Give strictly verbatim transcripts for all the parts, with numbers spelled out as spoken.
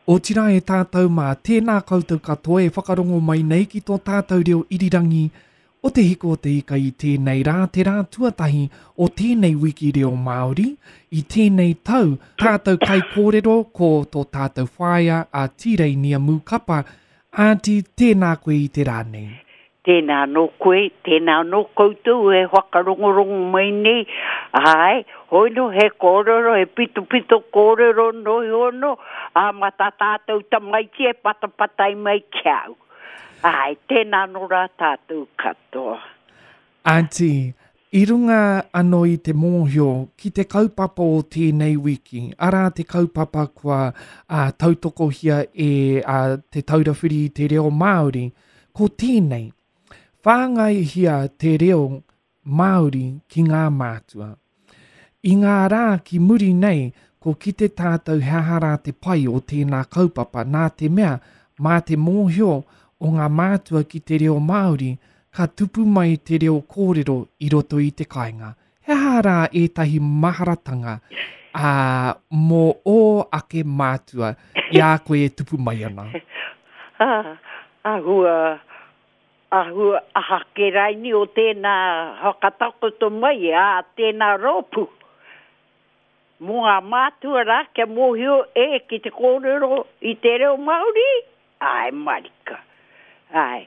Otirā e tātou mā, tēnā koutou katoa e whakarongo mai nei ki tō tātou reo irirangi o Te Hiko o Te Ika i tēnei rā, te rā tuatahi o tēnei wiki reo Māori, i tēnei tau, tātou kaikōrero ko tō tātou whaea a Tīreinia Mūkapa. Aunty, tēnā koe i te rā nei. Tēnā anō koe, tēnā anō koutou e whakarongorongo mai nei, āe, hoi nō he kōrero, he pitopito kōrero nō iho nō, ā, mā tā tātou tamaiti e patapatai mai ki au. Āe, tēnā anō rā tātou katoa. Aunty, i runga anō i te mōhio ki te kaupapa o tēnei wiki, arā te kaupapa kua uh, tautokohia e uh, Te Taura Whiri i te Reo Māori, ko tēnei, whāngaihia te reo Māori ki ngā mātua. I ngā rā ki muri nei, ko kite tātou he aha rā te pai o tēnā kaupapa, nā te mea, mā te mōhio o ngā mātua ki te reo Māori, ka tupu mai te reo kōrero i roto i te kāinga. He aha rā ētahi maharatanga ā, mō ō ake mātua i a koe e tupu mai ana? Ah, āhua, āhua aha ke raini o tēnā whakatakoto mai a tēnā rōpū. Mō ngā mātua rā kia mōhio e ki te kōrero i te reo Māori, āe marika. Āe,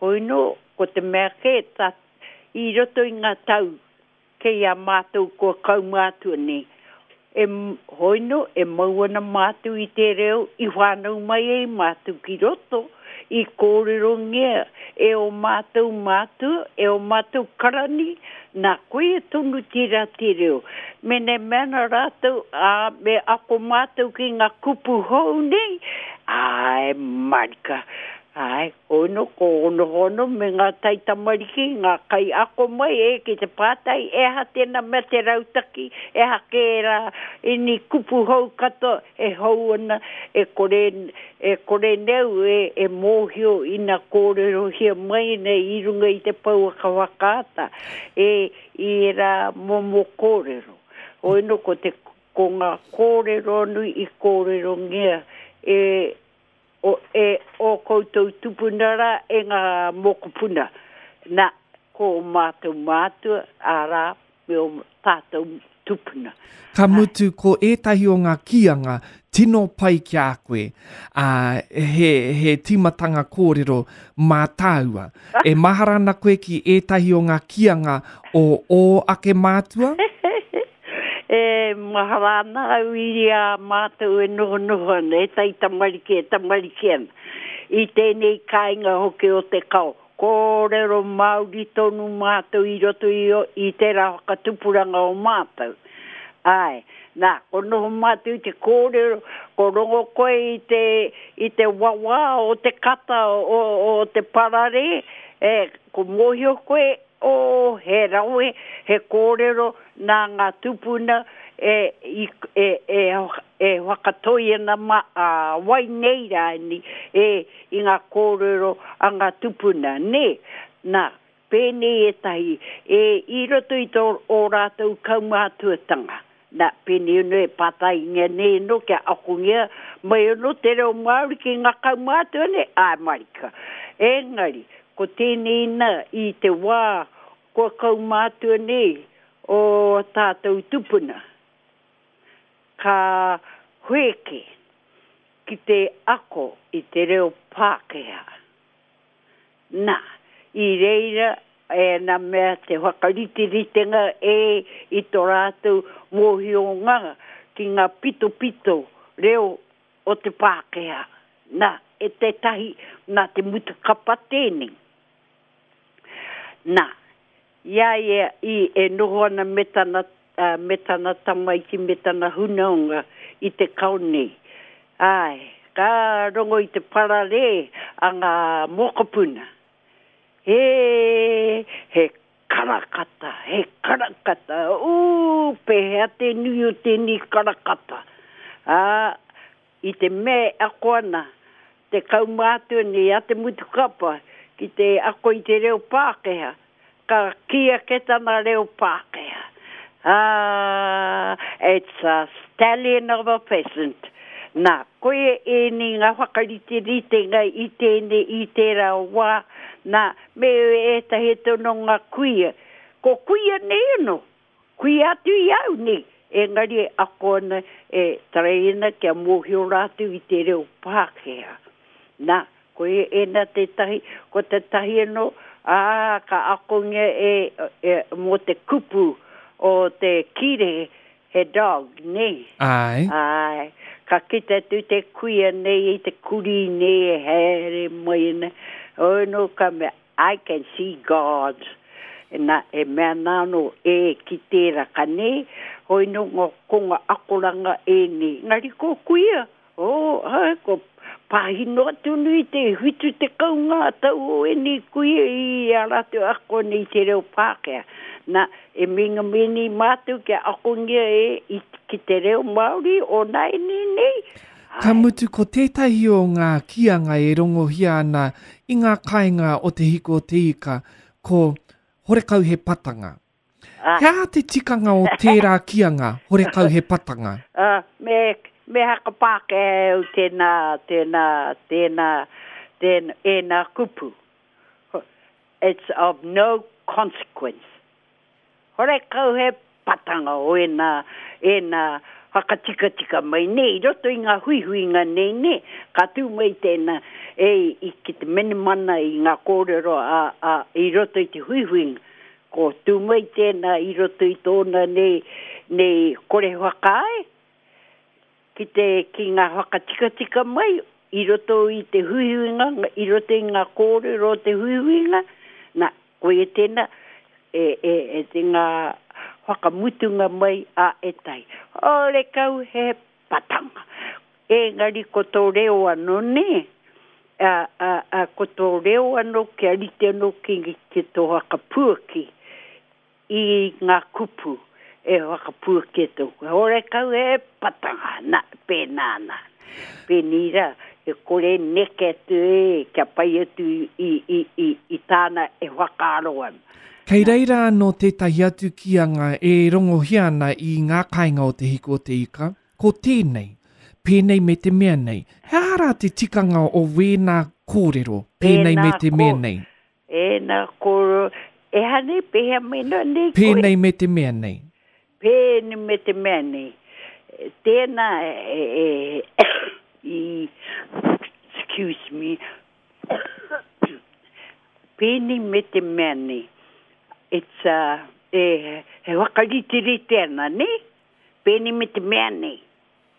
hoi nō, ko te mea kē, ta, i roto i ngā tau, kei a mātou kua kaumātua nei, e, hoi nō, e mau ana mātou i te reo i whānau mai ai mātou ki roto, i kōrerongia e o mātou mātua, e o mātou karani, nā koia tonu tērā te reo. Mene mea ana rātou, ā, me ako mātou ki ngā kupu hou nei, āe marika. Āe, hoi nō, ko honohono me ngā taitamariki, ngā kaiako mai e ki te pātai, e aha tēnā mea te rautaki, e aha kē rā ini kupu hou katoa e hou ana, e kore, e kore neu e, e mōhio ina kōrerohia mai nei i runga i te pouaka whakaata, e i ērā momo kōrero. Hoi nō, ko te, ko ngā kōrero nui i kōrerongia e o, e o koutou tupuna rā e ngā mokopuna. Nā, ko o mātou mātua, arā, me o tātou tupuna. Ka mutu, ko ētahi o ngā kīanga tino pai ki a koe, ā, he, he tīmatanga kōrero mā tāua. E mahara ana koe ki ētahi o ngā kīanga o ō ake mātua? E mahara ana au i a mātou e nohonoho ana, e taitamariki, e tamariki ana. I tēnei kāinga hoki o te kao, kōrero Māori tonu mātou i roto i, i tērā whakatupuranga o mātou. Āe, nā, ko noho mātou i te kōrero, ko rongo koe i te, i te wawā o te kata o, o te pararē, e, ko mōhio koe, oh, he rawe, he kōrero nā ngā tūpuna e, i, e, e, e whakatoi ana ma, a, wai nei rāni, e, i ngā kōrero a ngā tūpuna, nē? Nā, pēnei ētahi, e, i roto i tō ō rātou kaumātuatanga. Nā, pēnei anō e pātaingia nei anō kia akongia mai anō te reo Māori ki ngā kaumātua nei, āe marika. Engari, ko tēnei nā i te wā kua kaumātua nei o tātou tupuna, ka wheke ki te ako i te reo Pākehā. Nā, i reira e nā mea te whakariteritenga e i tō rātou mōhionga ki ngā pitopito reo o te Pākehā. Nā, e tētahi, nā te mutu kapa tēnei. Nā, i a ia i e noho ana me tana, uh, me tana tamaiti, me tana hunaonga i te kao nei. Āe, ka rongo i te pararē a ngā mokopuna. He, he karakata, he karakata, ū, pēhea te nui o tēnei karakata. Ā, i te mea e ako ana te kaumātua nei a Te Mutukapa ki te ako i te reo Pākehā, ka kī ake tana reo Pākehā, Ah, it's a stallion of a pheasant. Nā, koia ēnei ngā whakariteritenga i tēnei i tērā wā, nā, me ētahi atu anō ngā kuia. Ko kuia nei anō, kuia atu i au nei, engari e ako ana, e tarai ana kia mōhio rātou i te reo Pākehā. Nā, koia ēnā tētahi, ko tētahi anō, ā, ka akongia e, e, mō te kupu o te kīrehe, he dog, nē? Āe. Āe. Ka kite atu te kuia nei i te kurī nei e haere mai ana, hoi nō ka mea, I can see God. Na, e mea ana anō, e, ki tērā ka nē, hoi nō ngā, ko ngā akoranga ēnei. Engari ko kuia, oh, āe, ko pāhi noa tonu i te whitu tekau ngā tau o ēnei kuia i a rātou ako nei i te reo Pākehā. Na, e meinga mai nei mātou kia akongia e i, ki te reo Māori o nāianei nei. Ka mutu ko tētahi o ngā kīanga e rongohia ana i ngā kāinga o Te Hiku o Te Ika, ko horekau he patanga. Ah. He aha te tikanga o tērā kīanga, horekau he patanga? Ah, me, me haka Pākehā au tēnā, tēnā, tēnā, tēnā, ēnā kupu. It's of no consequence. Horekau he patanga o ēnā, ēnā whakatikatika mai nei, i roto i ngā huihuinga nei, nē, ka tū mai tēnā, e, i, ki te menemana i ngā kōrero a, a, i roto i te huihuinga. Ko tū mai tēnā i roto i tōna nei, nei kore whakaae, ki te, ki ngā whakatikatika mai i roto i te huihuinga, i roto i ngā kōrero o te huihuinga, nā, koia tēnā, e, e, e te ngā whakamutunga mai a ētahi. Horekau he patanga. Engari ko tō reo anō, nē? A, a, a, ko tō reo anō kia rite anō ki, ki tō whakapuaki i ngā kupu e whakapuaki atu. Horekau he patanga, nā, pēnā ana. Pēnei rā, e kore neke atu e, kia pai atu i, i, i, i, i tāna e whakaaro ana. Kei reira anō tētahi atu kīanga e rongohia ana i ngā kāinga o Te Hiku o Te Ika, ko tēnei, pēnei me te mea nei. He aha rā te tikanga o wēnā kōrero, pēnei me te mea nei? Ēnā kōrero, e hane, pēhea mai noa nei koe? Pēnei me te mea nei. Pēnei me te mea nei. Tēnā, e, e, i, excuse me, pēnei me te mea nei. It's a, e, he whakariterite ana, nē? Pēnei me te mea nei.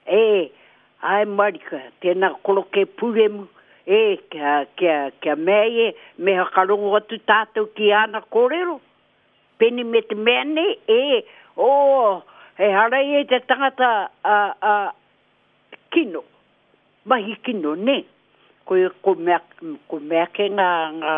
E, ai marika, tēnā koroke pūremu, e, kia, kia, kia mea ia, me whakarongo atu tātou ki āna kōrero. Pēnei me te mea nei, e, oh, he hara ia i te tangata a, a, kino, mahi kino, nē? Ko, ko mea, ko mea ke ngā, ngā,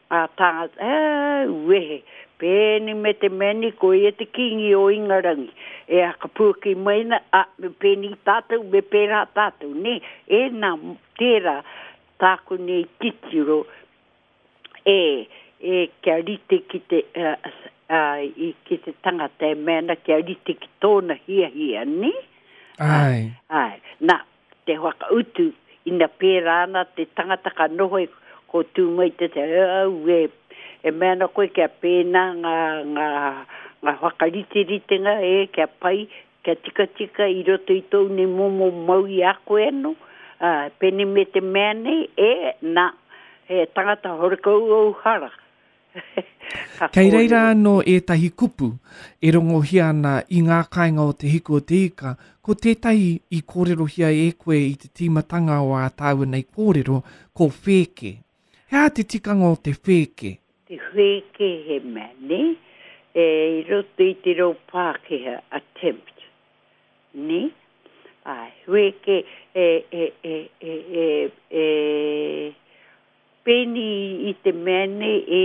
ngā tāngata, e, wehe, pēnei me te mea nei, ko ia te kīngi o Ingarangi. E whakapuaki mai ana, a, me pēnei tātou, me pērā tātou, nē? Ēnā, tērā, tāku nei titiro, e, e, kia rite ki te, a, a, i, ki te tangata e mea ana, kia rite ki tōna hiahia, nē? Ai. Ai. Nā, te whakautu, ina pērā ana te tangata ka noho e, ko tū mai te te, au, e, e mea ana koe kia pēnā ngā, ngā, ngā whakariteritenga, e, kia pai, kia tikatika i roto i tōu nei momo mau i a koe anō, ā, pēnei me te mea nei, e, nā, he tangata horekau ou hara. Ka Kei reira kōrero. anō ētahi kupu e rongohia ana i ngā kāinga o Te Hiku o Te Ika, ko tētahi i kōrerohia e koe i te tīmatanga o ā tāua nei kōrero, ko whēke. He aha te tikanga o te whēke? Te whēke he mea, nē? E, i roto i te reo Pākehā, attempt, nē? Ai, whēke e, e, e, e, e, e, pēni i te mea nei, e,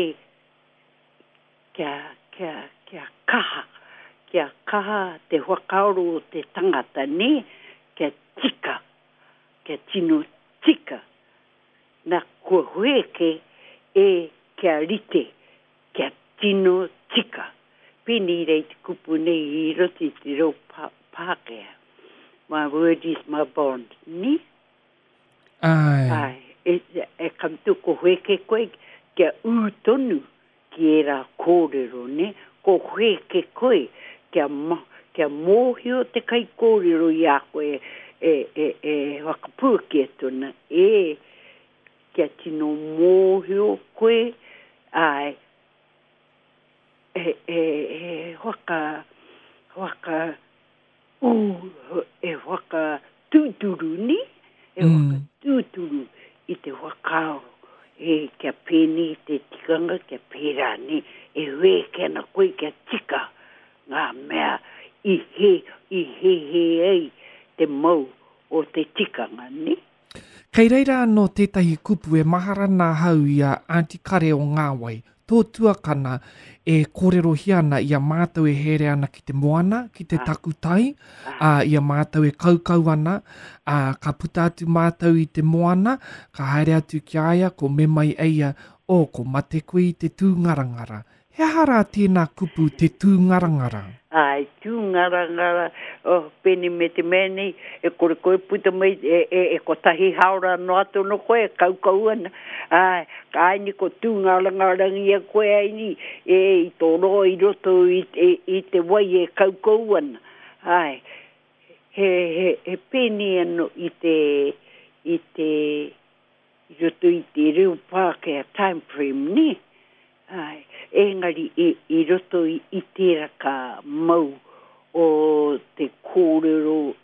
kia, kia, kia kaha, kia kaha te whakaaro o te tangata, nē? Kia tika, kia tino tika. Nā, kua whēke e kia rite, kia tino tika. Pēnei rei te kupu nei i roto i te reo Pākehā. My word is my bond, nē? Āe. Āe, e, e ka mutu ko wheke koe kia ū tonu ki ērā kōrero, nē? Ko wheke koe kia, ma, kia mōhio te kaikōrero i a koe e, e, e whakapuaki atu ana, e, kia tino mōhio koe, āe, e, e, e whaka, whaka, ū, e whakatūturu, nē? E Mm. whakatūturu i te whakaaro, e, kia pēnei te tikanga, kia pērā, nē? E wēke ana koe kia tika ngā mea i he, i hēhē ai te mau o te tikanga, nē? Kei reira anō tētahi kupu e mahara ana ahau i a Aunty Kare o Ngāwai, tō tuakana e kōrerohia ana i a mātou e haere ana ki te moana, ki te Ah. takutai, Ah. ā, i a mātou e kaukau ana, ā, ka puta atu mātou i te moana, ka haere atu ki a ia, ko me mai e ia, oh, ko mate koe i te tūngarangara. He aha rā tēnā kupu, te tūngarangara? Āe, tūngarangara, oh, pēnei me te mea nei, e kore koe puta mai, e, e, e kotahi haora noa atu anō koe, e kaukau ana. Āe, ka aini ko tūngarangarangia koe aini, e, i tō roa i roto i, i, i te wai e kaukau ana. Āe, he, he, he pēnei anō i te, i te, i roto i te reo Pākehā time frame, nē? Āe, engari i, i roto i, i tērā ka mau o te kōrero,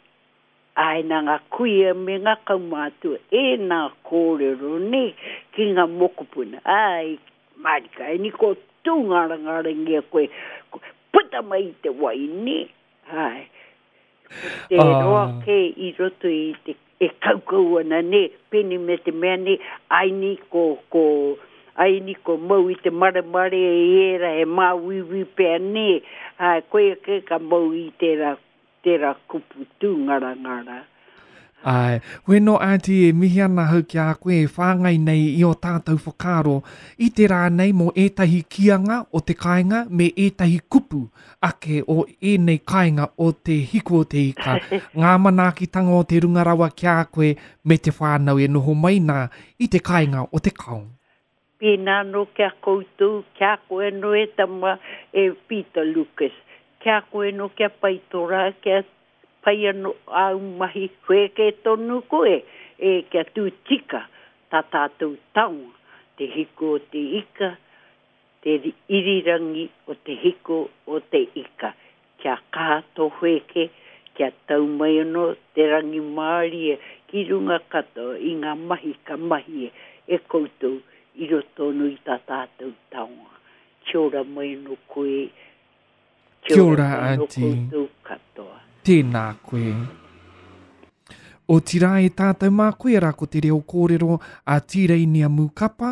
āe nā ngā kuia me ngā kaumātua, ēnā kōrero, nē, ki ngā mokopuna. Āe, mārika, aini ko tūngarangarangia koe, ko, puta mai i te wai, nē? Āe, ko te Ah. roa kē i roto i te, e kaukau ana, nē, pēnei me te mea nei, aini ko, ko, aini ko mau i te maremare i ērā he māuiui pea, nē, āe, koia kē ka mau i tērā, tērā kupu tūngarangara. Āe, weno Aunty e mihi ana hau ki a koe e whāngai nei i o tātou whakaaro i te rā nei mō ētahi kīanga o te kāinga me ētahi kupu ake o ēnei kāinga o te hiku o te ika. Ngā manaakitanga o te runga rawa ki a koe me te whānau e noho mai nā i te kāinga o te kao. Pēnā anō ki a koutou, ki a koe anō e tama e Peter Lucas, ki a koe anō kia pai tō rā, kia pai anō āu mahi, whēkē tonu koe, e kia tū tika tā tātou taonga, te hiku o te ika, te irirangi o te hiku o te ika. Kia kaha tō whēkē, kia tau mai anō te rangimārie ki runga katoa i ngā mahi ka mahi e koutou i roto anō i tā tātou taonga. Kia ora mai anō koe, kia Kia ora ora, mai anō Aunty. koutou katoa. Tēnā koe. Otirā e tātou mā koe rā ko te reo kōrero a Tīreinia Mūkapa,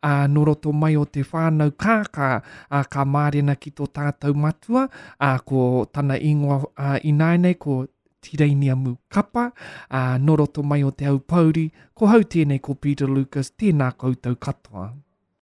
a nō roto mai o te whānau kākā, a ka mārena ki tō tātou matua, a ko tana ingoa a, ināianei ko Tīreinia Mūkapa, a nō roto mai o te Aupōuri, ko hau tēnei ko Peter Lucas, tēnā koutou katoa.